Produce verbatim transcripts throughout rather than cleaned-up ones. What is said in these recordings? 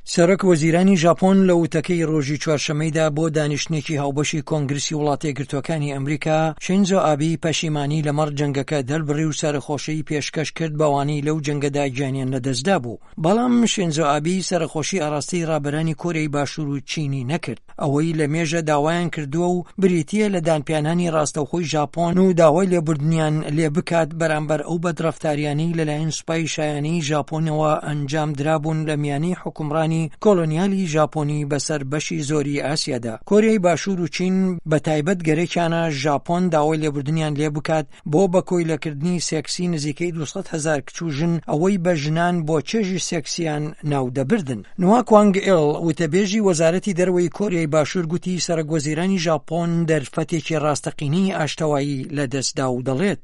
سەرۆک وەزیرانی ژاپۆن لە وتەکەی ڕۆژی چوارشەمەیدا بۆ دانیشتنێکی هاوبەشی کۆنگرسی وڵاتە یەکگرتووەکانی ئەمریکا، شینزۆ ئابی پەشیمانی لەمەڕ جەنگەکە دەربڕی و سەرەخۆشی پێشکەش کرد بەوانەی لەو جەنگەدا گیانیان لەدەستدا بوو. بەڵام شینزۆ ئابی سەرەخۆشی ئاراستەی ڕابەرانی کۆریای باشوور و چینی نەکرد، ئەوەی لە مێژە داوایان کردووە و بریتییە لە دانپیانانی ڕاستەوخۆی ژاپۆن و داوای لێبوردنیان لێ بکات بەرامبەر ئەو بەدڕەفتاریانەی لەلایەن سوپای شایانەی ژاپۆنەوە ئەنجام درابوون لە میانەی حوکمڕانی کۆلۆنیالی ژاپۆنی بەسەر بەشی زۆری ئاسیادا. کۆریای باشوور و چین بە تایبەت گەرەکیانە ژاپۆن داوای لێبوردنیان لێ بکات بۆ بە کۆیلەکردنی سێکسی نزیکەی دوو سەد هەزار کچ و ژن، ئەوەی بە ژنان بۆ چێژی سێکسیان ناودەبردن. نوا کوانگ ئێل، وتەبێژی وەزارەتی دەرەوەی کۆریای باشوور گوتی سەرۆک وەزیرانی ژاپۆن دەرفەتێکی ڕاستەقینەی ئاشتەوایی لەدەستدا و دەڵێت،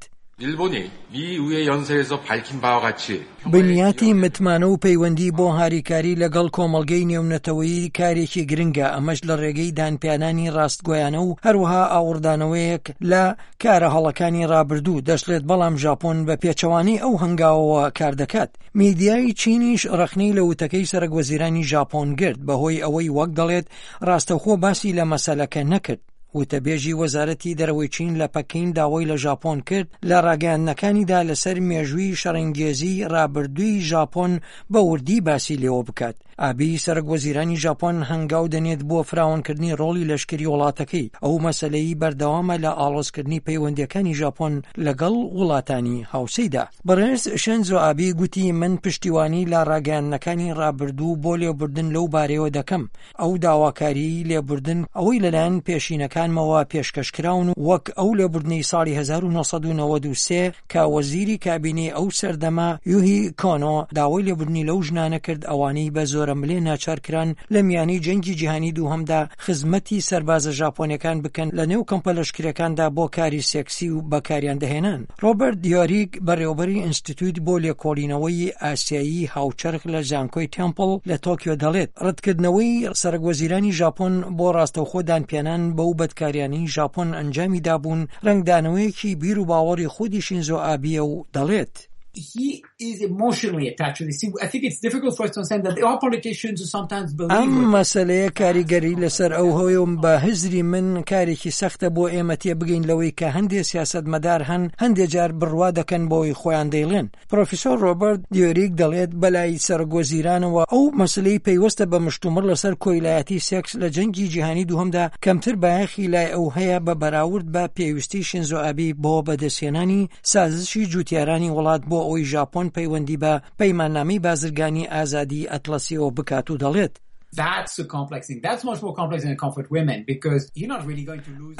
بنیاتی متمانە و پەیوەندی بۆ هاریکاری لەگەڵ کۆمەڵگەی نێونەتەوەیی کارێکی گرنگە، ئەمەش لە ڕێگەی دانپیانانی ڕاستگۆیانە و هەروەها ئاوڕدانەوەیەک لە کارە هەڵەکانی ڕابردوو، دەشڵێت بەڵام ژاپۆن بە پێچەوانەی ئەو هەنگاوەوە کار دەکات. میدیای چینیش ڕەخنەی لە وتەکەی سەرۆک وەزیرانی ژاپۆن گرت بەهۆی ئەوەی وەک دەڵێت ڕاستەوخۆ باسی لە مەسەلەکە نەکرد. وتەبێژی وەزارەتی دەرەوەی چین لە پەکین داوای لە ژاپۆن کرد لە ڕاگەیاندنەکانیدا لەسەر مێژووی شەڕەنگێزی ڕابردووی ژاپۆن بە وردی باسی لێوە بکات. ئابی سەرۆک وەزیرانی ژاپۆن هەنگاو دەنێت بۆ فراوانکردنی ڕۆڵی لەشکری وڵاتەکەی. ئەو مەسەلەی بەردەوامە لە ئاڵۆزکردنی پەیوەندیەکانی ژاپۆن لەگەڵ وڵاتانی هاوسێیدا. بەڕێز شینزۆ ئابی گوتی من پشتیوانی لە ڕاگەیاندنەکانی ڕابردوو بۆ لێبوردن لەو بارەیەوە دەکەم. ئەو داواکاریی لێبوردن ئەوەی لەلایەن پێشینەکانمەوە پێشکەشکراون و وەک ئەو لێبوردنەی ساڵی هەزار و نۆ سەد و نەوەد و سێ کە وەزیری کابینەی ئەو سەردەمە یوهی کۆنۆ داوای لێبوردنی لەو ژنانە کرد ئەوانەی بە زۆرەملێ ناچارکران لە میانەی جەنگی جیهانی دووهەمدا خزمەتی سەربازە ژاپۆنیەکان بکەن لە نێو کەمپە لەشکریەکاندا بۆ کاری سێکسی و بەکاریان دەهێنان. ڕۆبەرت دیۆریک، بەڕێوەبەری ئینستیتوت بۆ لێکۆڵینەوەی ئاسیایی هاوچەرخ لە زانکۆی تێمپڵ لە تۆکیۆ دەڵێت ڕەتکردنەوەی سەرۆک وەزیرانی ژاپۆن بۆ ڕاستەوخۆ دانپیانان بەو بەدکاریانەی ژاپۆن ئەنجامی دابوون ڕەنگدانەوەیەکی بیر و باوەڕی خودی شینزۆ ئابیە و دەڵێت He is emotionally attached to this. I think it's difficult for us to understand that there are politicians who sometimes believe ئەم مەسەلەیە کاریگەری لەسەر ئەو هەیە و بە هزری من کارێکی سەختە بۆ ئێمە تێبگەین لەوەی کە هەندێ سیاسەتمەدار هەن هەندێ جار بڕوا دەکەن بەوەی خۆیان دەیڵێن. پرۆفیسۆر ڕۆبەرت دیۆریک دەڵێت بەلای سەرۆک وەزیرانەوە ئەو مەسەلەی پەیوەستە بە مشتومڕ لەسەر کۆیلایەتی سێکس لە جەنگی جیهانی دووهەمدا کەمتر بایەخی لای ئەو هەیە بە بەراورد بە پێویستی شینزۆ ئابی بۆ بەدەستهێنانی سازشی جوتیارانی وڵات بۆ ئەوەی ژاپۆن پەیوەندی بە پەیماننامەی بازرگانی ئازادی ئەتڵەسیەوە بکات و دەڵێت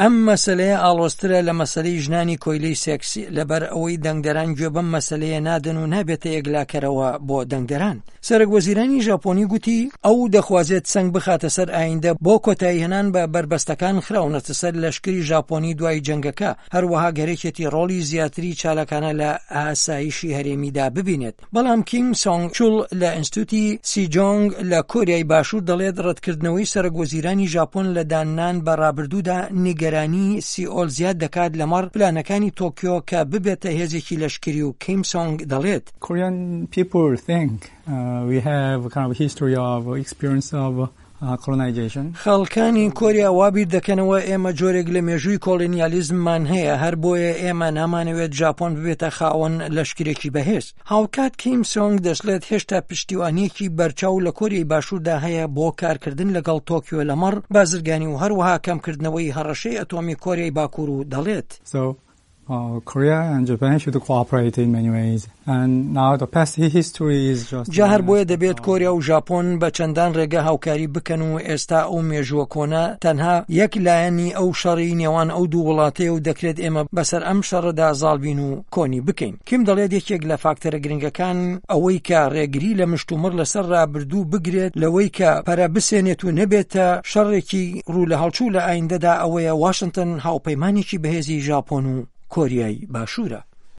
ئەم مەسەلەیە ئاڵۆزترە لە مەسەلەی ژنانی کۆیلەی سێکسی، لەبەر ئەوەی دەنگدەران گوێ بەم مەسەلەیە نادەن و نابێتە یەکلاکەرەوە بۆ دەنگدەران. سەرۆک وەزیرانی ژاپۆنی گوتی ئەو دەخوازێت سەنگ بخاتە سەر ئایندە بۆ کۆتاییهێنان بە بەربەستەکان خراونەتە سەر لەشکری ژاپۆنی دوای جەنگەکە، هەروەها گەرەکێتی ڕۆڵی زیاتری چالاکانە لە ئاسایشی هەرێمیدا ببینێت. بەڵام کیم سۆنگ چول لە ئینستیتوتی سیجۆنگ لە کۆریای باشوور دەڵێت ڕەتکردنەوەی سەرۆک وەزیرانی ژاپۆن لە داننان بە ڕابردوودا نیگەرانی سیئۆل زیاد دەکات لەمەڕ پلانەکانی تۆکیۆ کە ببێتە هێزێکی لەشکری و کیم سۆنگ دەڵێت Korean people think we have kind of history of experience of colonization. خەڵکانی کۆریا وا بیر دەکەنەوە ئێمە جۆرێک لە مێژووی کۆڵۆنیالیزممان هەیە، هەر بۆیە ئێمە نامانەوێت ژاپۆن ببێتە خاوەن لەشکرێکی بەهێز. هاوکات کیم سۆنگ دەشڵێت هێشتا پشتیوانییەکی بەرچاو لە کۆریای باشووردا هەیە بۆ کارکردن لەگەڵ تۆکیۆ لەمەڕ بازرگانی و هەروەها کەمکردنەوەی هەڕەشەی ئەتۆمی کۆریای باکوور و دەڵێت. So Korea and Japan should cooperate in many ways and now the past history is just جا هەر بۆیە دەبێت کۆریا و ژاپۆن بە چەندان ڕێگە هاوکاری بکەن و ئێستا ئەو مێژووە کۆنە تەنها یەک لایەنی ئەو شەڕی نێوان ئەو دوو وڵاتەیە و دەکرێت ئێمە بەسەر ئەم شەڕەدا زاڵ بین و کۆنی بکەین. کیم دەڵێت یەکێک لە فاکتەرە گرنگەکان ئەوەی کە ڕێگری لە مشتومڕ لەسەر ڕابردوو بگرێت لەوەی کە پەرە بسێنێت و نەبێتە شەڕێکی ڕوو لە هەڵچوو لە ئایندەدا ئەوەیە واشنتن هاوپەیمانێکی بەهێزی ژاپۆن و کۆریای باشوورە.